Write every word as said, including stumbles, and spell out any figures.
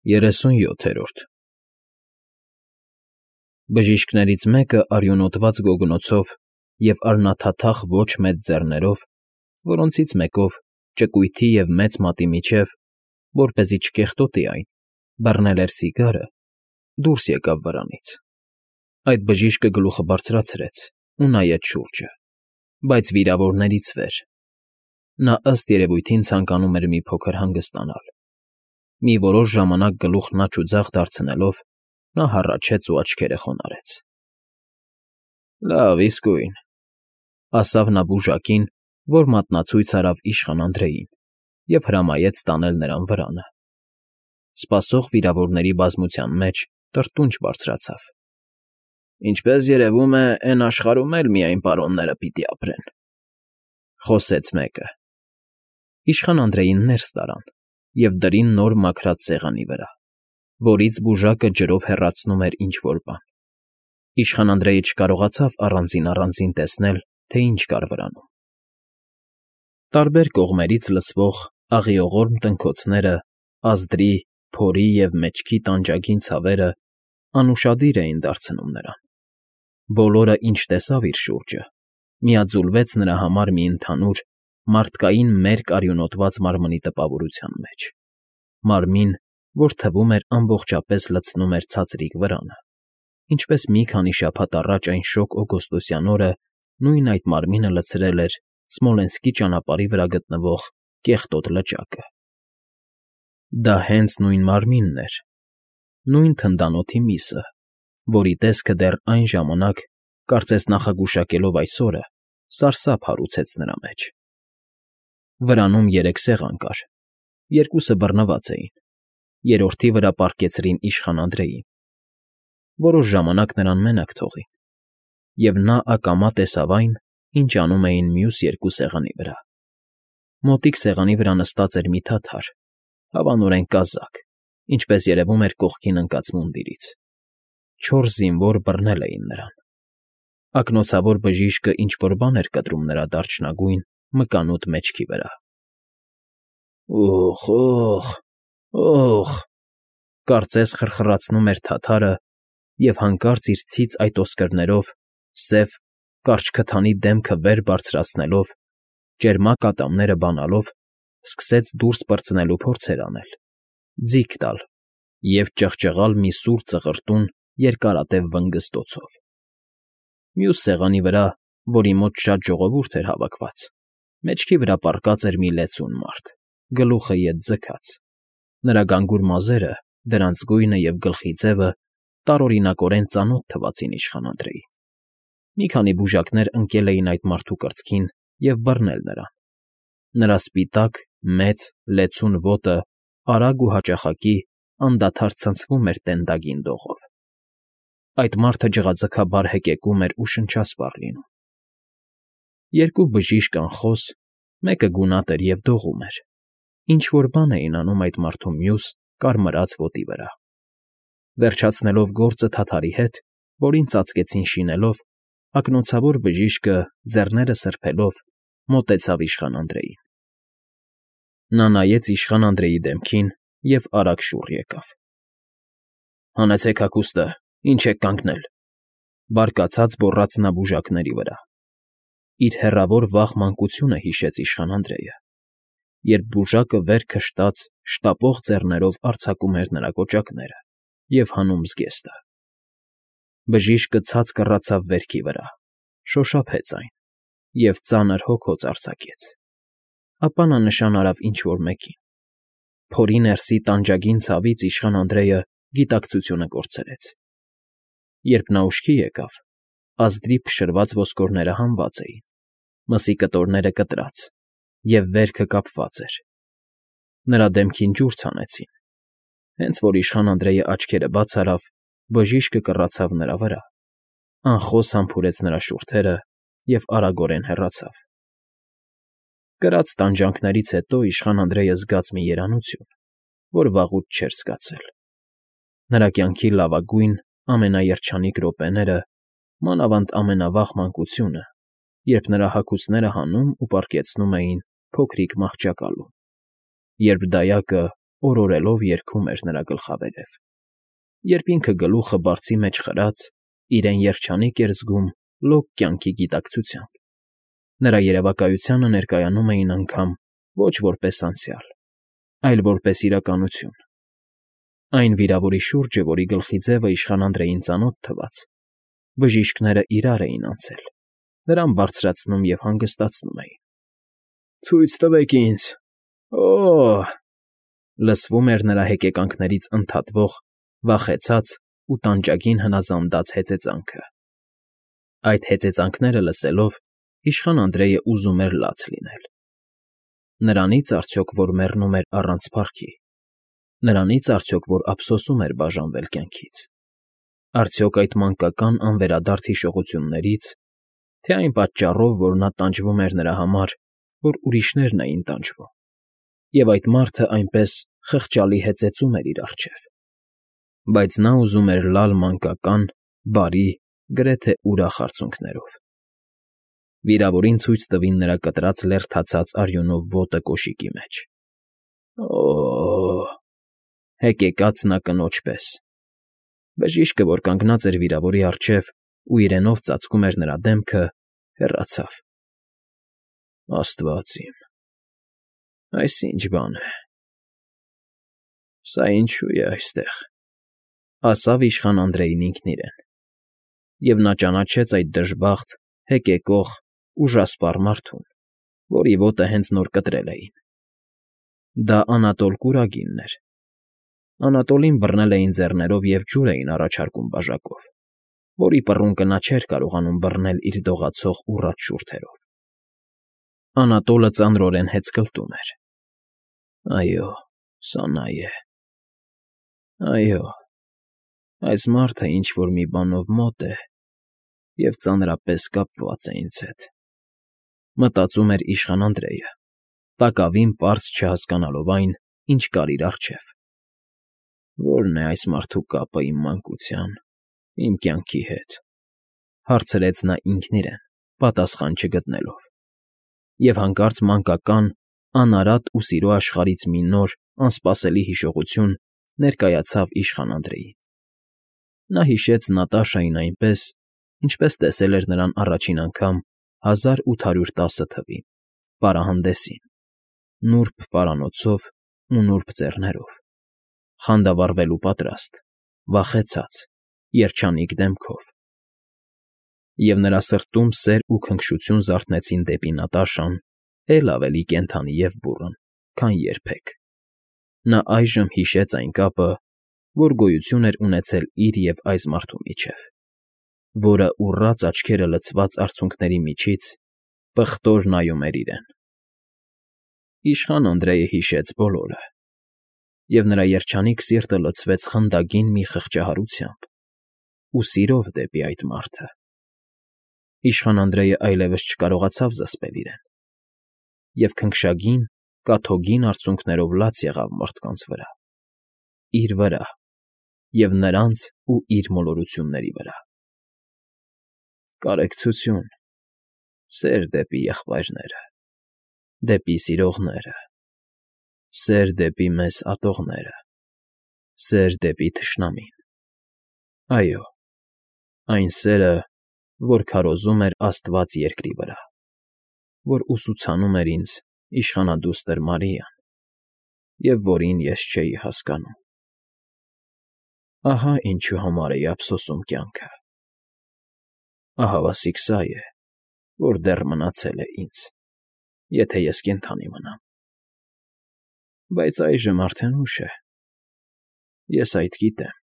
Երեսունյոթերորդ Բժիշկներից մեկը արյունոտված գոգնոցով և արյունաթաթախ ոչ մեծ ձեռներով, որոնցից մեկով, ճկույթի և մեծ մատի միջև, որպեսզի չկեղտոտի այն, բռնել էր սիգարը, դուրս եկավ վրանից. այդ բժիշկը գլուխը բարձրացրեց ու նայեց շուրջը, բայց վիրավորներից վեր. նա, ըստ երևույթին, ցանկանում էր մի փոքր հանգստանալ. մի որոշ ժամանակ գլուխն աջ ու ձախ դարձնելով, նա հառաչեց ու աչքերը խոնարհեց։ ֊ Լավ, իսկույն, ֊ ասավ նա բուժակին, որ մատնացույց արավ իշխան Անդրեին և հրամայեց տանել նրան վրանը։ Սպասող վիրավորների բազմության մեջ տրտունջ բարձրացավ։ ֊ Ինչպես երևում է, էն աշխարհում էլ միայն պարոնները պիտի ապրեն, ֊ խոսեց մեկը։ Իշխան Անդրեին ներս տարան և դրին նոր մաքրած սեղանի վրա, որից բուժակը ջրով հեռացնում էր ինչ֊որ բան։ Իշխան Անդրեյը չկարողացավ առանձին֊առանձին տեսնել, թե ինչ կար վրանում։ Տարբեր կողմերից լսվող աղիողորմ տնքոցները, ազդրի, փորի և մեջքի տանջագին ցավերը անուշադիր էին դարձնում նրան։ Բոլորը, ինչ տեսավ իր շուրջը, միաձուլվեց նրա համար մի ընդհանուր, մարդկային մերկ արյունոտված մարմնի տպավորության մեջ, մարմին, որ թվում էր ամբողջապես լցնում էր ցածրիկ վրանը, ինչպես մի քանի շաբաթ առաջ այն շոգ օգոստոսյան օրը նույն այդ մարմինը լցրել էր Սմոլենսկի ճանապարհի վրա գտնվող կեղտոտ լճակը։ Դա հենց նույն մարմինն էր, նույն թնդանոթի միսը, որի տեսքը դեռ այն ժամանակ, կարծես նախագուշակելով այս օրը, սարսափ հարուցեց նրա մեջ։ Վրանում երեք սեղան կար, երկուսը բռնված էին, երրորդի վրա պառկեցրին իշխան Անդրեին։ Որոշ ժամանակ նրան մենակ թողին, և նա ակամա տեսավ այն, ինչ անում էին մյուս երկու սեղանի վրա։ Մոտիկ սեղանի վրա նստած էր մի թաթար, հավանորեն կազակ, ինչպես երևում էր կողքին ընկած մունդիրից։ Չորս զինվոր բռնել էին նրան։ Ակնոցավոր բժիշկը ինչ֊որ բան էր կտրում նրա դարչնագույն, մկանուտ մեջքի վրա։ «Օխ, օխ, օխ», կարծես խրխրացնում էր թաթարը և հանկարծ իր ցից այդ օսկրներով, սև, կարճ քթանի դեմքը վեր բարձրացնելով, ճերմակ ատամները բանալով, սկսեց դուրս պրծնելու փորձեր անել, ձիգ տալ և ճղճղալ մի սուր ծղրտուն երկարատև վնգստոցով։ Մյուս սեղանի վրա, որի մոտ շատ ժողովուրդ էր հավաքված, մեջքի վրա պառկած էր մի լեցուն մարդ, գլուխը ետ ձգած։ Նրա գանգուր մազերը, դրանց գույնը և գլխի ձևը տարօրինակորեն ծանոթ թվացին իշխան Անդրեին։ Մի քանի բուժակներ ընկել էին այդ մարդու կրծքին և բռնել նրան։ Նրա սպիտակ, մեծ, լեցուն ոտը արագ ու հաճախակի անդադար ցնցվում էր տենդագին դողով։ Այդ մարդը ջղաձգաբար հեկեկում էր ու շնչասպառ լինում։ Երկու բժիշկ անխոս, մեկը գունատ էր և դողում էր, ինչ֊որ բան էին անում այդ մարդու մյուս, կարմրած ոտի վրա։ Վերջացնելով գործը թաթարի հետ, որին ծածկեցին շինելով, ակնոցավոր բժիշկը, ձեռները սրբելով, մոտեցավ իշխան Անդրեին։ Նա նայեց իշխան Անդրեի դեմքին և արագ շուռ եկավ։ ֊ Հանեցեք հագուստը, ինչ եք կանգնել, ֊ բարկացած գոռաց նա բուժակների վրա։ Իր հեռավոր վաղ մանկությունը հիշեց իշխան Անդրեյը, երբ բուժակը վեր քշտաց, շտապող ձեռներով արձակում էր նրա կոճակները և հանում զգեստը։ Բժիշկը ցած կռացավ վերքի վրա, շոշափեց այն և ծանր հոգոց արձակեց։ Ապա նա նշան արավ ինչ֊որ մեկին։ Փորի ներսի տանջագին ցավից իշխան Անդրեյը գիտակցությունը կորցրեց։ Երբ նա ուշքի եկավ, ազդրի փշրված ոսկորները հանված էին, մսի կտորները կտրած, և վերքը կապված էր։ Նրա դեմքին ջուր ցանեցին։ Հենց որ իշխան Անդրեյը աչքերը բաց արավ, բժիշկը կռացավ նրա վրա, անխոս համբուրեց նրա շուրթերը և արագորեն հեռացավ։ Կրած տանջանքներից հետո իշխան Անդրեյը զգաց մի երանություն, որ վաղուց չէր զգացել։ Նրա կյանքի լավագույն, ամենաերջանիկ րոպեները, մանավանդ ամենավաղ մանկությունը, երբ նրա հագուստները հանում ու պառկեցնում էին փոքրիկ մահճակալում, երբ դայակը, օրորելով երգում էր նրա գլխավերև, երբ ինքը գլուխը բարձի մեջ խրած, իրեն երջանիկ էր զգում լոկ կյանքի գիտակցությամբ. նրա երևակայությանը ներկայանում էին անգամ ոչ որպես անցյալ, այլ որպես իրականություն. այն վիրավորի շուրջը, որի գլխի ձևը իշխան Անդրեին ծանոթ թվաց, բժիշկները իրար էին անցել, նրան բարձրացնում և հանգստացնում էին։ «Ցույց տվեք ինձ… Օ՜օ՜»… լսվում էր նրա հեկեկանքներից ընդհատվող, վախեցած ու տանջագին հնազանդած հեծեծանքը։ Այդ հեծեծանքները լսելով, իշխան Անդրեյը ուզում էր լաց լինել։ Նրանի՞ց արդյոք, որ մեռնում էր առանց փառքի, նրանի՞ց արդյոք, որ ափսոսում էր բաժանվել կյանքից, արդյոք այդ մանկական անվերադարձ հիշողությունների՞ց, թե այն պատճառով, որ նա տանջվում էր նրա համար, որ ուրիշներն էին տանջվում, և այդ մարդը այնպես խղճալի հեծեծում էր իր առջև։ Բայց նա ուզում էր լալ մանկական, բարի, գրեթե ուրախ արցունքներով։ Վիրավորին ցույց տվին նրա կտրած լերդացած արյունով ոտը կոշիկի մեջ։ Օ՜օ՜, հեկեկաց նա կնոջ պես։ Բժիշկը, որ կանգնած էր վիրավորի առջև ու իրենով ծածկում էր նրա դեմքը, հեռացավ։ Աստված իմ… Այս ի՞նչ բան է… Սա ինչո՞ւ է այստեղ, ասավ իշխան Անդրեյն ինքն իրեն, և նա ճանաչեց այդ դժբախտ, հեկեկող, ուժասպառ մարդուն, որի ոտը հենց նոր կտրել էին։ Դա Անատոլ Կուրագինն էր։ Անատոլին բռնել էին ձեռներով և ջուր էին առաջարկում բաժակով, որի պռունկը նա չէր կարողանում բռնել իր դողացող ուռած շուրթերով։ Անատոլը ծանրորեն հեծկլտում էր։ Այո, սա նա է… Այո, այս մարդը ինչ֊որ մի բանով մոտ է և ծանրապես կապված է ինձ հետ, մտածում էր իշխան Անդրեյը, տակավին պարզ չհասկանալով այն, ինչ կար իր առջև։ Ո՞րն է այս մարդու կապը իմ մանկության, իմ կյանքի հետ, հարցրեց նա ինքն իրեն, պատասխան չգտնելով։ Եվ հանկարծ մանկական, անարատ ու սիրո աշխարհից մի նոր, անսպասելի հիշողություն ներկայացավ իշխան Անդրեյին։ Նա հիշեց Նատաշային այնպես, ինչպես տեսել էր նրան առաջին անգամ հազար ութ հարյուր տասը թվին, պարահանդեսին, նուրբ պարանոցով ու նուրբ ձեռներով, խանդավառվելու պատրաստ, վախեցած, երջանիկ դեմքով։ Եվ նրա սրտում սեր ու քնքշություն զարթնեցին դեպի Նատաշան էլ ավելի կենդանի և բուռն, քան երբեք։ Նա այժմ հիշեց այն կապը, որ գոյություն էր ունեցել իր և այս մարդու միջև, որը ուռած աչքերը լցված արցունքների միջից պղտոր նայում էր իրեն։ Իշխան Անդրեյը հիշեց բոլորը, և նրա երջանիկ սիրտը լցվեց խնդագին մի խղճահարությամբ ու սիրով դեպի այդ մարդը։ Իշխան Անդրեյը այլևս չկարողացավ զսպել իրեն, և քնքշագին, կաթոգին արցունքներով լաց եղավ մարդկանց վրա, իր վրա և նրանց ու իր մոլորությունների վրա։ Կարեկցություն, սեր դեպի եղբայրները, դեպի սիրողները, սեր դեպի մեզ ատողները, սեր դեպի թշնամին… Այո, այն սերը, որ քարոզում էր աստված երկրի վրա, որ ուսուցանում էր ինձ իշխանադուստր Մարիան, և որին ես չէի հասկանում… Ահա ինչու համար էի ափսոսում կյանքը… Ահավասիկ սա է, որ դեռ մնացել է ինձ, եթե ես կենդանի մնամ… Բայց այժմ արդեն ուշ է, ես այդ գիտեմ։